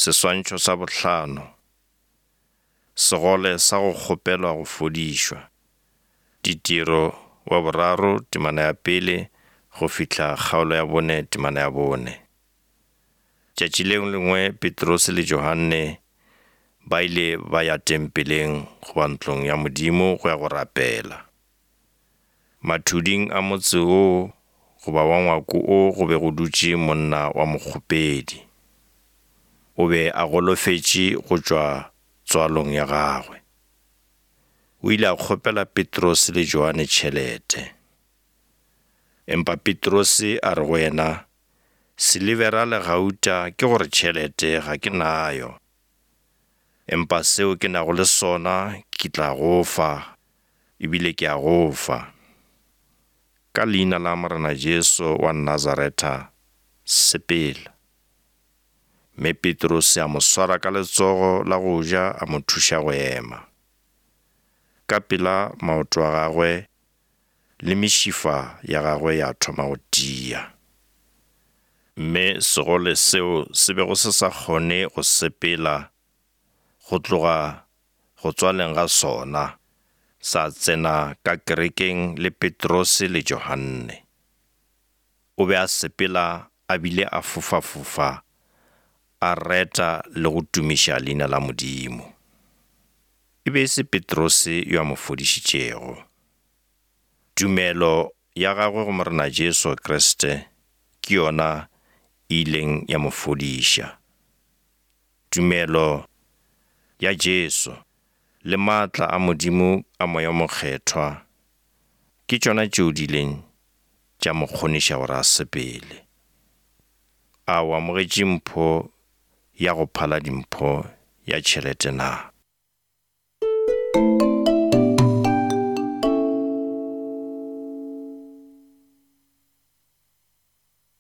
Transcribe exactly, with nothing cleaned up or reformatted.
Seswantšho sa bohlano. Segole sa go kgopelwa go fodišwa. Ditiro wa boraro temana ya pele go fihla kgaolo ya bone temana ya bone. Tšatši le lengwe Petrose le Johanne ba ile ba ya tempeleng goba ntlong ya Modimo go ya go rapela. Mathuding a motse woo goba wa ngwako wo go be go dutše monna wa mokgopedi. O be a golofetše go tšwa tswalong ya gagwe. O ile a kgopela Petrose le Johane tšhelete. Empa Petrose a re go yena, silivera le gauta ke gore tšhelete ga ke nayo. Empa seo ke nago le sona ke tla go fa, ebile ke a go fa. Ka leina la Morena Jesu wa Nazaretha, sepela. Mme Petrose a mo swara ka letsogo la go ja a mo thuša go ema. Ka pela maoto a gagwe le mešifa ya gagwe ya thoma go tia. Mme segole seo se bego se sa kgone go sepela go tloga go tswaleng ga sona, sa tsena ka kerekeng le Petrose le Johanne. O be a sepela a bile a fofafofa, a reta le go tumiša leina la Modimo. E be e se Petrose yo a mo fodišitšego. Tumelo ya gagwe go Morena Jesu Kriste ke yona e ileng ya mo fodiša. Tumelo ya Jesu le maatla a Modimo a Moya o Mokgethwa ke tšona tšeo di ileng tša mo kgoniša gore a sepele. A o amogetše mpho ya go phala dimpho ya tšhelete na?